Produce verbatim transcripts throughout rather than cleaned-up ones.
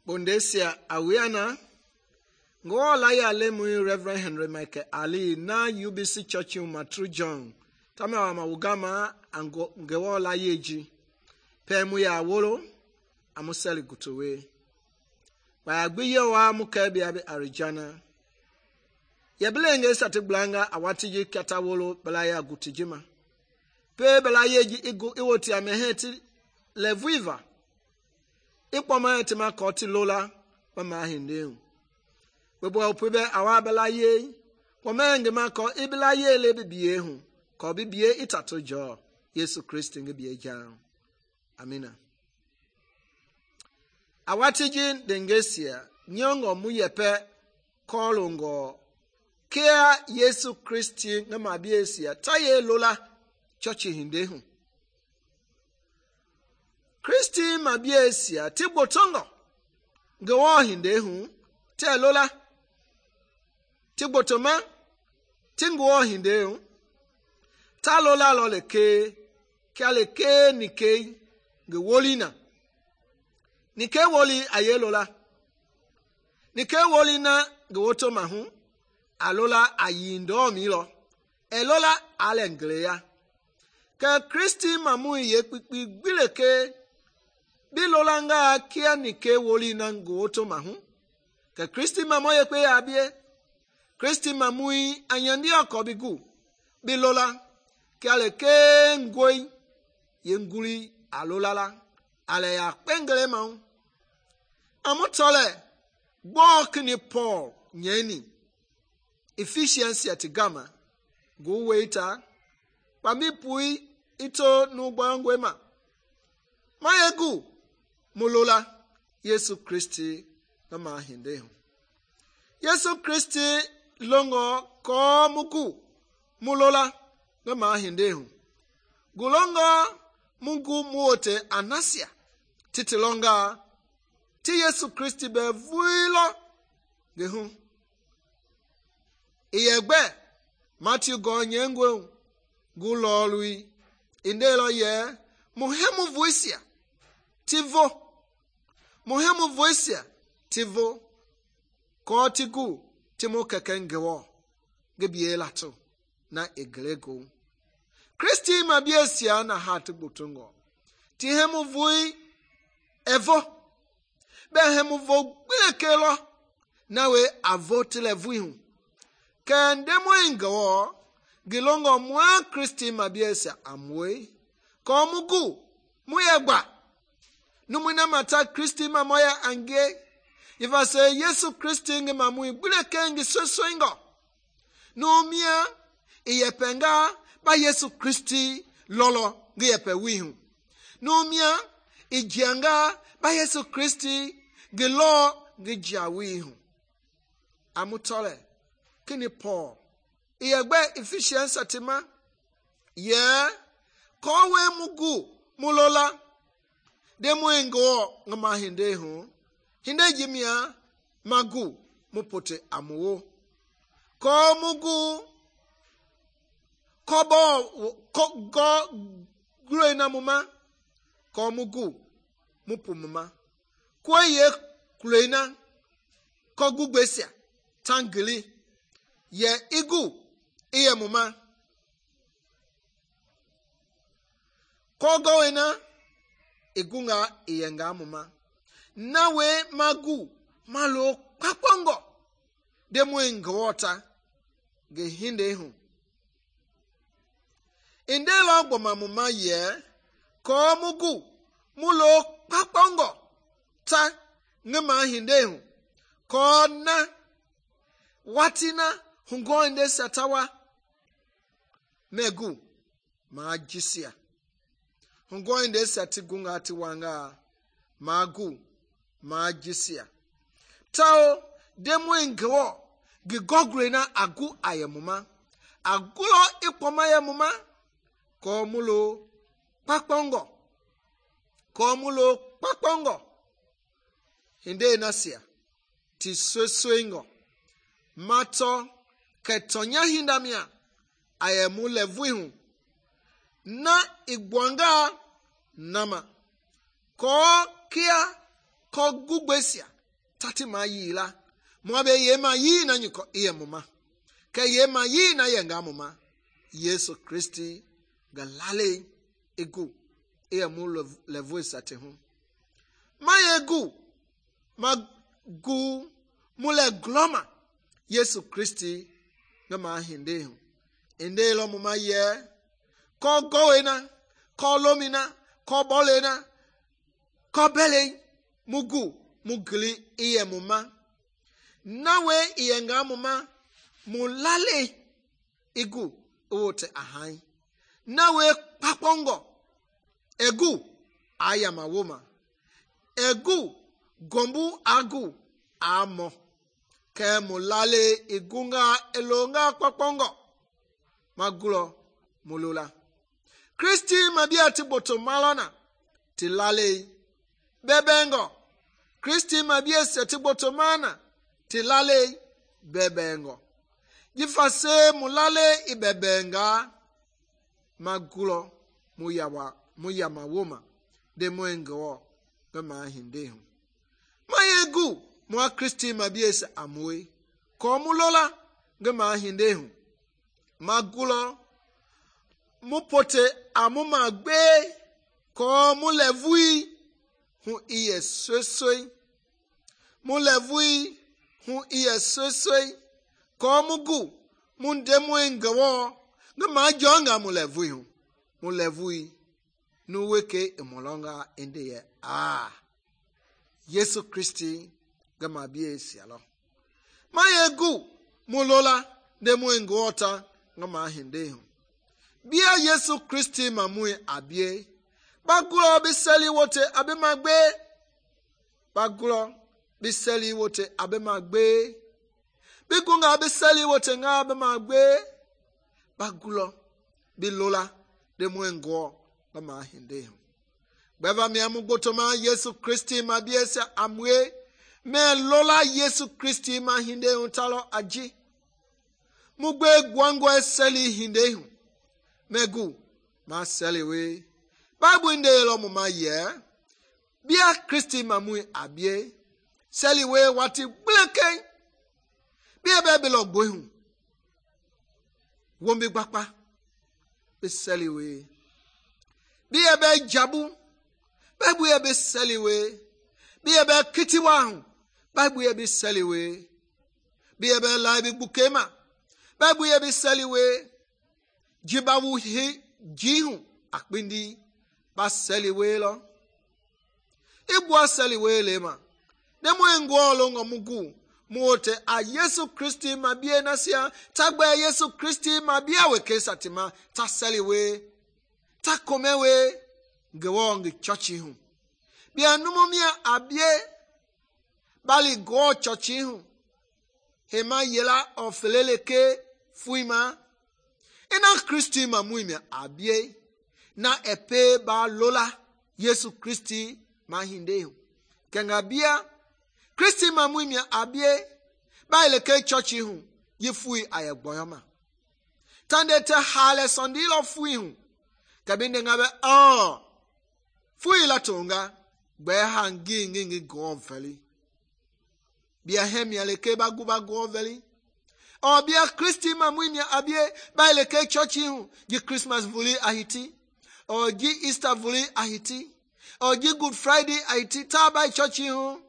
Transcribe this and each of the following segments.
Bondesia awiana Ngoo la ya lemui Reverend Henry Michael Ali na U B C Church Matru John tama wa mawugama ango ngewo la yeji pe mu ya wolo amuseli gutowe ba agbiye wa mukebia bi Arijana yeblenge satblanga awatiji kata wolo bala ya gutijima pe bala yeji igu iwoti ameheti leviva ikpoma etima koti lola pama hindeu bebo opebe awa bala ye pomenge ma ko ibla ye le bibie hu ko bibie itato jo Yesu Kristo nge bie ja amina awatiji dengesia nyongo muyepe kolongo kia Yesu Kristo nge mabiesia taye lola chochi hindehu Kristi mabiesia tigbotongo ngewo hindehu te lola tigbotoma tinguo hindehu ta lola loleke kialeke nike ngewolina nike woli aye lola nike woli na ngewoto mahu alola ayindo milo elola alengleya ke Kristi mamu ye kpikpi gbileke bilolanga kia nike woli na ngewoto mahu ke Kristi mamu ye kpe abie Kristi mamui anyandi akobigu bilola kiale ke ngoi yenguli alolala ale ya pengele mau amotole gbokni Paul nyeni Ephesians yatigama go waita pami pui ito nugbangwema mayegu mulola Yesu Kristi kama hindehu Yesu Kristi longo ko muku mulola kama hindehu gulongo mungu muote anasia titilonga ti Yesu Kristi be vuilo gehu iyegbe Matthew go nyengwe gulolui indelo ye muhemu voisia tivo muhemu voisia tivo kotigu timo kekengewo gebielato na eglego Kristi mabiesia na hatu butungo tihemu vui evo behemu vo gbekelo nawe avotile vuihu kendemo ingewo gilongo mwa Kristi mabiesia amwe komugu muyegba numuna mata Kristi mamoya ange ifa se Yesu Kristi nge mamui gbuleke nge sosoingo numia iyepenga ba Yesu Kristi lolo nge yepe wihu numia ijianga ba Yesu Kristi nge lo nge jawihu amutole kini Paul iyegbe Ephesians atima ye kowe mugu mulola demo ngo ngama hindehu hinde jimia magu mupote amuwo ko mugu kobo ko go grena muma ko mugu mupumuma koye klena ko gugbesia tangili ye igu iye muma ko goena igunga iyenga muma nawe magu malo kwakongo demo ingota ge hindehu indelo gboma muma ye ko mugu mulo kwakongo ta ngema hindehu ko na watina hungo inde satawa megu majisia hungo inde satigunga tiwanga magu majisia tao demo ingwo gigogre na agu ayemuma agulo ikpoma yemuma ko mulo pakpongo ko mulo pakpongo hinde nasia ti sosoingo mato ketonya hindamia ayemu levuihu na igwanga nama ko kia ko gugbesia tati ma yi la mo be ye ma yi na nyiko iye muma ke ye ma yi na ye nga muma Yesu Kristi ga lale egu iye mu levu sate hu ma ye gu ma gu mu le gloma Yesu Kristi ga ma hinde hu inde lo muma ye ko goena ko lomina ko bolena ko bele mugu mugli iye muma nawe iye nga muma mulale igu ote ahai nawe papongo egu aya mawoma egu gombu agu amo ke mulale igunga elonga papongo magulo mulula Kristi mabia ti boto malona ti lale bebengo Kristi mabia se ti boto mana ti lale bebengo jifase mulale ibebenga magulo muyawa muyama woma de moengo gama hindehu mayegu mo Kristi mabia se amwe ko mulola gama hindehu magulo mupote amuma gbe ko mulevui hu iye sosoi mulevui hu iye sosoi ko mugu mundemu engawo ngama jonga mulevui hu mulevui nuweke emolonga endeye ah Yesu Kristi gama bie sialo mayegu mulola demu engota ngama hindehu bia Yesu Kristi mamue abie bagulo biseli wote abe magbe bagulo biseli wote abe magbe bigunga biseli wote nga abe magbe bagulo bilola de mwengo kama hindehu beva miamu gotoma Yesu Kristi mabiesa amwe me lola Yesu Kristi ma hindehu talo aji mugbe gwango eseli hindehu megu ma seliwe Bible inde lo muma ye bia Kristi mamui abie seliwe wati bleke bia bebe lo gbohu wombi gbapa be seliwe bia be jabu Bible be seliwe bia be kitiwa hu Bible be seliwe bia be laibi bukema Bible be seliwe jibawu hi jihu akpindi ba seliwe lo igwa seliwe le ma demo engwo lo ngomugu muote a Yesu Kristi mabie nasia tagbe Yesu Kristi mabia weke satima ta seliwe ta komewe gewo ngi chochi hu bia numumia abie bali go chochi hu hema yela ofeleleke fuima ina Kristi mamuimia abie na epe ba lola Yesu Kristi mahindehu kenga bia Kristi mamuimia abie ba ileke churchi hu yifui ayegboyoma tande te hale sondilo fui hu kabinde ngabe oh fui la tonga gbe hangi ngi go veli bia hemia leke ba guba go veli o bia Kristi mamuimia abie ba ileke churchi hu ji Christmas vuli ahiti o ji Easter vuli ahiti o ji Good Friday ahiti ta ba churchi hu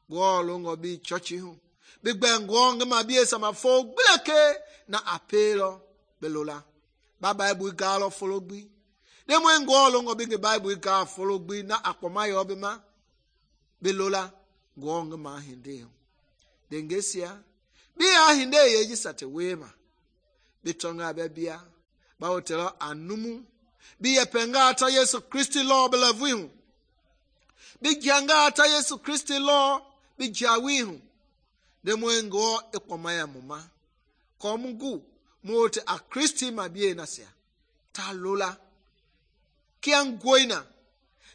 go longo bi churchi hu big bang ngong ma bi sama fo bleke na apelo belola ba Bible galo follow bi dem wen go longo bi Bible ga follow bi na akpoma yo bi ma belola ngong ma hinde dengesia bi a hinde ye ji sate wema bitonga bebia ba hotelo anumu bi yepenga ata Yesu Kristi lo belavu bi janga ata Yesu Kristi lo bi jawi hu de mwengo ekoma ya muma ko mugu mote a Kristi mabie nasia ta lola kia ngoina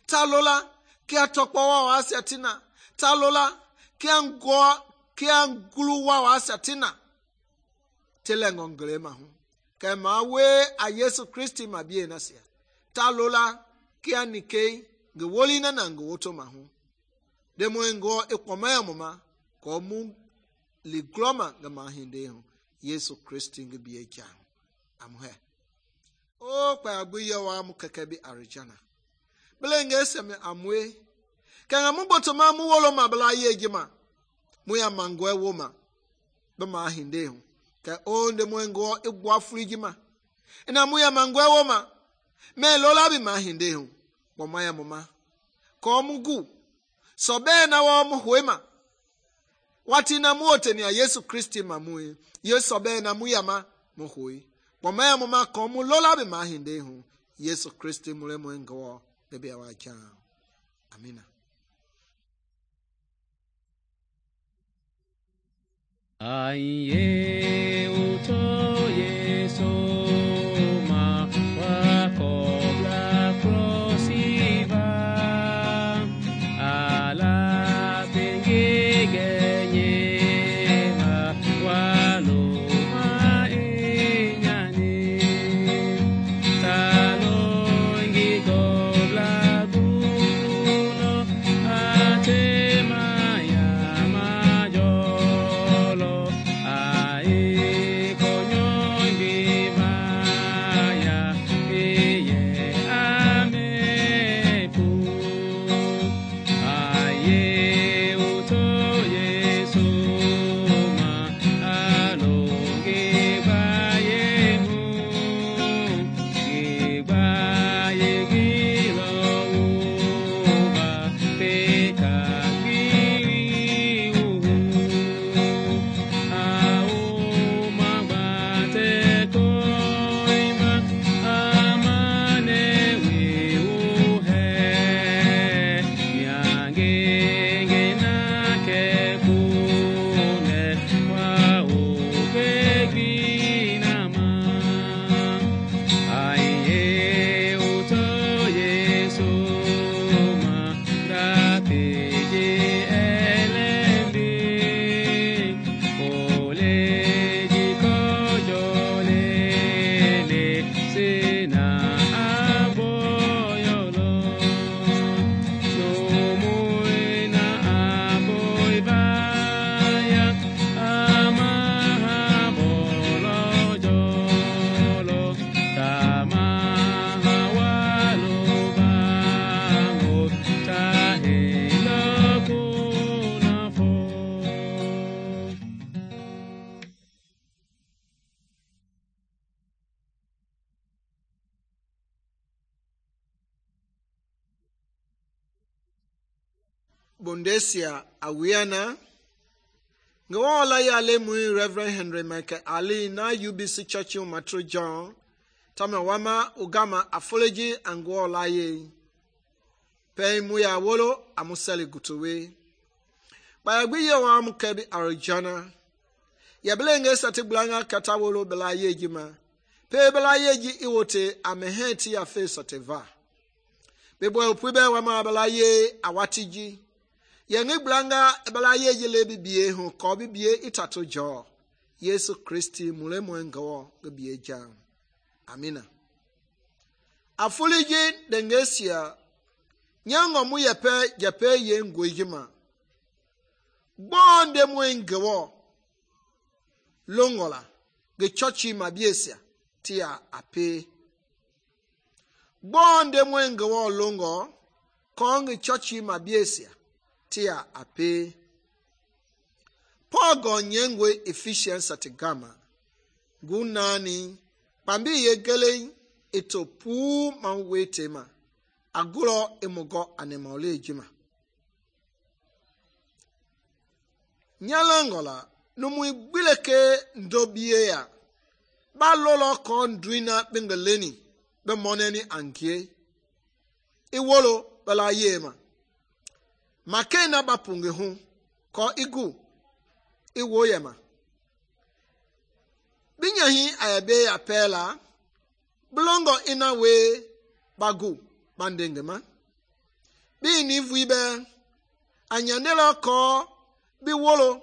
ta lola kia tokwa wa asatina ta lola kia ngo kia ngulu wa asatina telengo nglema hu kema we a Yesu Kristi mabie nasia ta lola kia nikei ngewoli na na ngewoto mahu de mwengo ekoma ya muma ko mu li gloma ngi mahinde hu Yesu Kristi ngi biye jang amhe o pa gbe yawa mu keke bi arijana blenge seme amwe kanga mu botoma mu wolo ma bla ye jima mu ya mangwe woma be mahinde hu ka onde mu ngo igwa frijima ina mu ya mangwe woma me lola bi mahinde hu bo maya mama ko mu gu so be na wo mu hwema wati na mu oteni ya Yesu Kristi mamu Yesu be na mu yama mu hoi bo maya mama ko mu lola bi mahinde hu Yesu Kristi mule mu ngo be be wa cha amina. Aiye uto Yesu ma wako la crosiva ala pengegenye ma walo ma enyani talo ngi gobla guno atema ya majolo ai konyondi maya iye amepu aye uto Yesu ma alonge baye mu gibaye gilo uba peka giri uhu au mabate koima amane wiuhe nyangenge nake kune wa ubeginama aiye uto Yesu ma dapeje elendi oleji kojolele sina aboyolo nomuina aboibaya amahabolojolo tamahawalobango tahelokunafo. Bondesia awiana ngawala ya lemu Reverend Henry Michael Ali na U B C Church Matro John tama wama ugama afology angwola ye pe mu ya wolo amusali gutowe ba gbi ye wa mu kebi arijana ya belenge satiblanga katawolo bela ye jima pe bela ye ji iwote ameheti ya fe soteva bebo opube wa ma bela ye awatiji yengi blanga bela ye jile bibie hu ko bibie itato jo Yesu Kristi mule mwengo bibie jam amina. Afuliji dengesia nyango mu yepe jepe ye ngwejima bonde mwengo longola ge chochi mabiesia tia ape bonde mwengo longo kongi chochi mabiesia tia ape pogo nyengwe efficiency atigama gunani pambi yegele ito pu manwetema agulo emogo anemole jima nyalangola numu igbileke ndobie ya ba lolo kon duina bengeleni be moneni angie iwolo bala yema makena bapunge hu ko igu iwo yema binyahi ayabe ya pela blongo ina we bagu bandengema bi ni vuibe anyandela ko bi wolo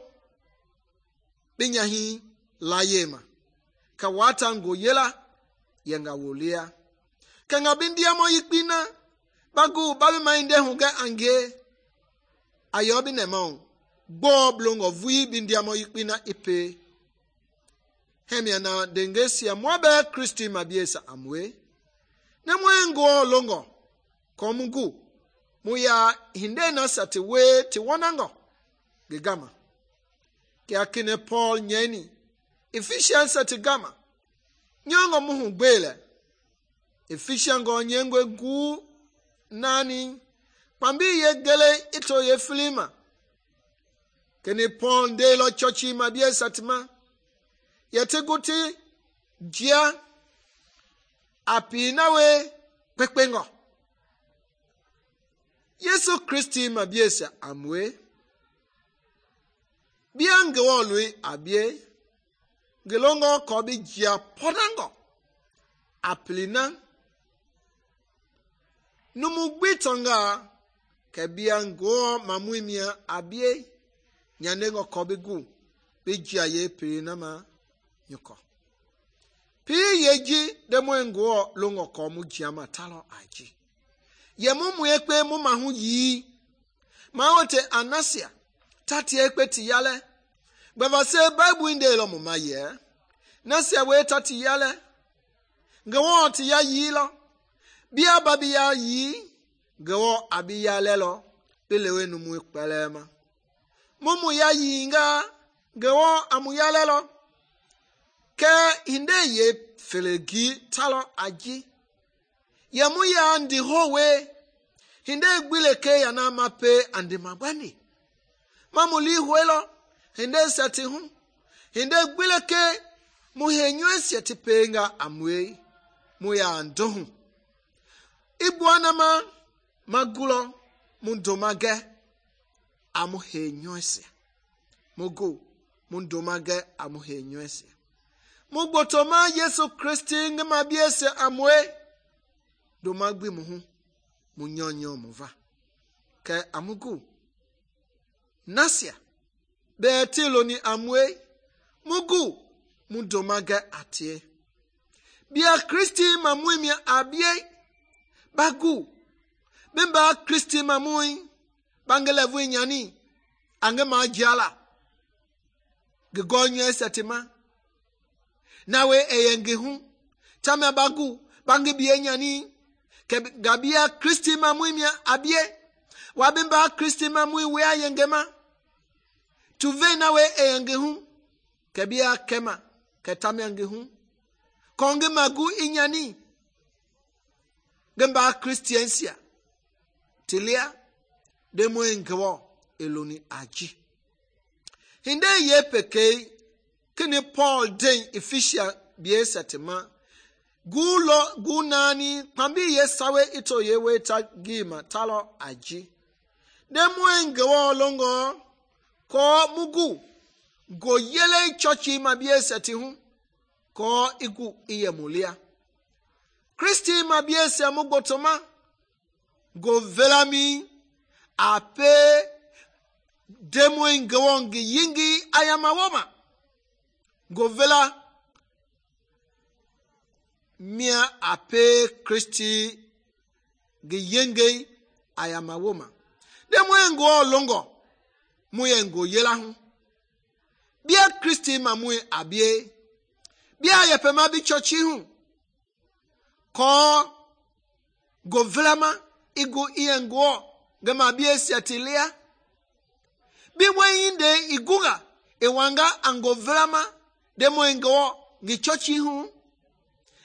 binyahi la yema ka wata ngo yela yenga wolia kanga bindia mo yikpina bagu babi mainde hunga ange ayobi nemon gbɔ blongo vui bindiamo yikpina ipe. Hemia na dengesia mwabe Kristi mabiesa amwe. Ne mwengo longo komungu muya hinde na sati we ti wanango gigama. Kia kine Paul nyeni Ephesians sati gama. Nyongo muhu gbele. Ephesians go nyengwe gu nani pambi ye gele ito ye filima. Kene Paul de lo chochi mabiesa tima. Yete guti jia api nawe pekpengo. Yesu Kristi mabiesa amwe. Biange wolui abie. Gelongo kobi jia podango. Aplina. Numugbitonga ke biango mamuimia abie. Nyanengo kobi gu. Bi jia ye pirina ma. Nyuko. Pi yeji demo ngo longo ko mu jiama talo aji. Ye mu mu ekpe mu mahu yi. Ma wote anasia tati ekpe ti yale. Beva se Bible inde lo mu ma ye. Nasia we tati yale. Ngewo ti ya yi lo. Bia babi ya yi. Ngewo abi yale lo. Bilewe nu mu ekpelema. Mu mu ya yi nga. Ngewo amu yale lo. Ke hinde ye felegi talo aji. Ye mu ya ndi howe. Hinde gbile ke ya na mape andi mabani. Mamuli huelo. Hinde seti hu. Hinde gbile ke mu henywe seti penga amwe. Mu ya ndohu. Ibuana ma magulo mundomage amu henywe se. Mugu mundomage amu henywe se. Mugbotoma Yesu Kristi ngema biese amwe. Domagbi muhu. Munyonyo muva. Ke amugu. Nasia. Beetilo ni amwe. Mugu. Mundomage atie. Bia Kristi mamui abie. Bagu. Bimba Kristi mamui. Bangelevu nyani. Angema jala. Gigonyo esetima. Nawe eyenge hu. Tame bagu. Bangi biye nyani. Ke gabia Kristi mamui mia abie. Wabimba Kristi mamui wea yengema. Tuve nawe eyenge hu. Ke bia kema. Ke tame yenge hu. Konge magu inyani. Gemba Kristiansia. Tilia. Demo engewo. Eloni aji. Hinde ye peke. Kini Paul den Ephesians biesa tema. Gulo gunani pambi ye sawe ito ye weta gima talo aji. Demo engewo longo ko mugu go yele chochi mabiesa ti hu ko igu iye mulia. Kristi mabiesa mugotoma go velami ape demo engewo ngi yingi ayamawoma. Govela mia ape Kristi giyenge ayama woma. De mwengo longo mwengo yela hu. Bia Kristi mamwe abie. Bia yepema bi chochi hu. Ko govela ma igu iyengo gama bie siatilia. Bi mweninde iguga ewanga angovela ma demo engo gichochi hu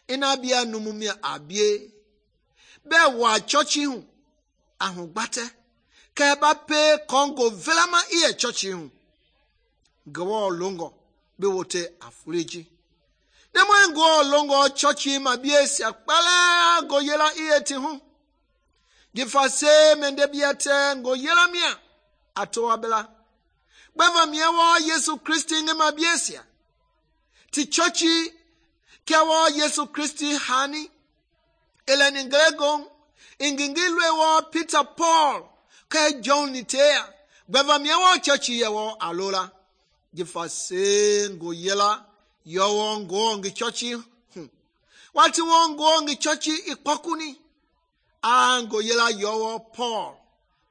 ina bia numumia abie be wa chochi hu ahu gbate ke ba pe kongo velama iye chochi hu gwo longo be wote afuriji demo engo longo chochi ma bie si akpala go yela iye ti hu gifase mende biate go yela mia ato abela beva miewo Yesu Kristi ngema biesia ti chochi kiawo Yesu Kristi hani eleni ngregon ingingilwe wo Peter Paul ke John nitea beva miewo chochi yewo alola gifase ngo yela yowo ngo ngi chochi hu wati wo ngo ngi chochi ikpokuni ango yela yowo Paul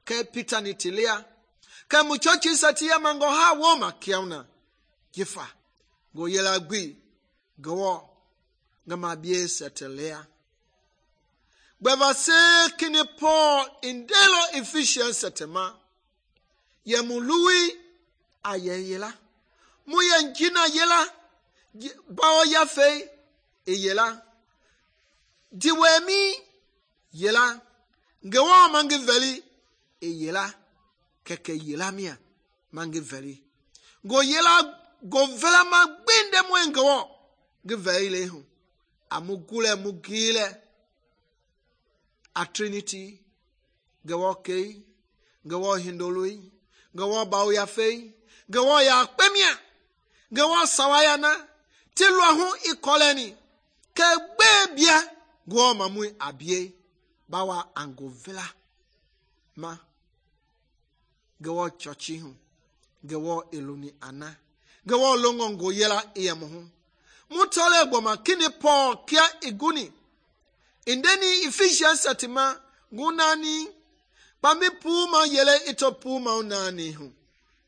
ke Peter nitilia Ke mu churchi sati ya mango ha wo ma kiauna. Jifa go yela gbi go ngama bie setelea. Gbeva se kini Paul in delo Ephesians setema. Ye mu lui aye yela. Mu ye njina yela. Bao ya fe e yela. Diwemi yela. Ngewa mangi veli e yela. Keke yela mia mangi veli. Go yela go vela ma gbinde mwe ngewa. Ge veli le hu. Amugule mugile. A Trinity. Gewa kei. Gewa hindolui. Gewa bao ya fei. Gewa ya pemia. Gewa sawayana. Tilwa hu ikoleni. Ke bebia. Gwa mamui abie. Bawa ango vela. Ma. Gewa chochi hu. Gewa eluni ana. Gewa longo ngo yela iya muhu. Mutole goma kini Paul kia iguni. Indeni Ephesians satima. Gunani. Pami puma yele ito puma unani hu.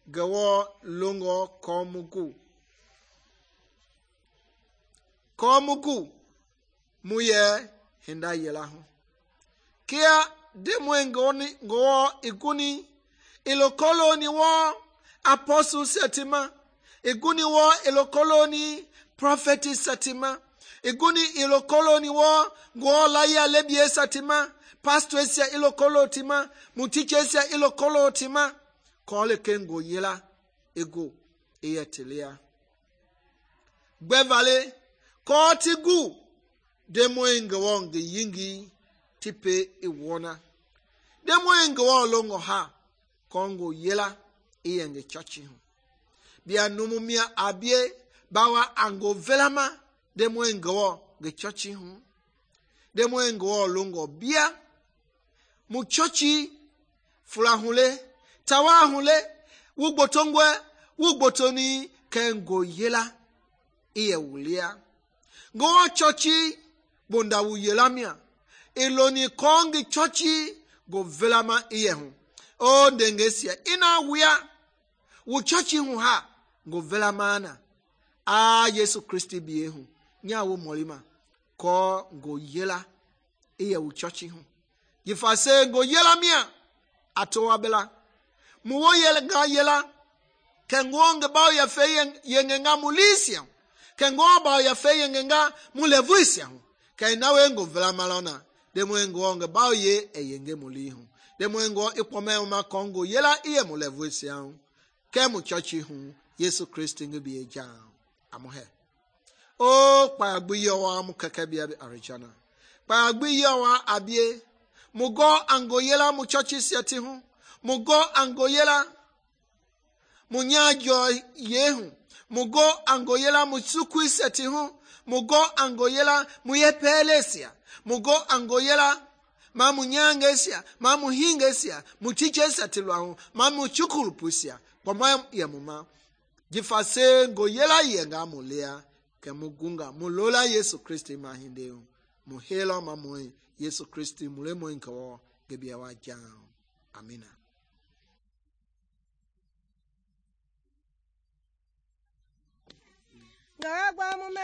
Gewa longo komugu. Komugu. Muye hinda yela hu. Kia demwe ngoni ngo iguni. Ilokolo ni wo apostle setima. Iguni wo ilokolo ni prophet setima. Iguni ilokolo ni wo ngo laya lebie setima. Pastor esia ilokolo tima. Mutiche esia ilokolo tima. Kole kengo yela ego eyetelea. Gbevale kotigu demwe ngo nge yingi tipe iwona. Demwe ngo longo ha kongo yela iyenge churchi hu. Bia numumia abie bawa ango velama demwe ngo ge churchi hu. Demwe ngo longo bia mu churchi fulahule tawahule wugbotongwe wugbotoni kengo yela iye wulia. Go churchi bonda wu yelamia. Iloni kongi churchi go velama iye hu. O dengesia ina wia wu churchi hu ha go velama na. A Yesu Kristi biye hu. Nya wu molima ko go yela iye wu churchi hu. Yifase go yela mia atowa bela. Muwo yela ga yela. Kengo nge bao ya fe yenge nga mulisia. Kengo bao ya fe yenge nga mulevuisia. Kainawe ngo vela malona. Demwe ngo nge bao ye e yenge mulihu. Demwe ngo ipome uma kongo yela iye mulevuisia. Kemu churchi hu Yesu Kristi nge biye jao. Amuhe. O pa agbiyo wa mu kekebia bi arijana. Pa agbiyo wa abie. Mugo ango yela mu churchi siati hu. Mugo ango yela munyajo yehu. Mugo ango yela musukui seti hu. Mugo ango yela muyepelesia. Mugo ango yela ma munyangesia. Ma muhingesia. Mutiche seti luahu. Ma muchukulupusia. Kwa mwa ya muma. Jifase ngo yela yenga mulea. Ke mugunga. Mulola Yesu Kristi mahindeu. Muhela mamoi. Yesu Kristi mulemo inkawo. Gebia wajao. Amina. Ngagwa mume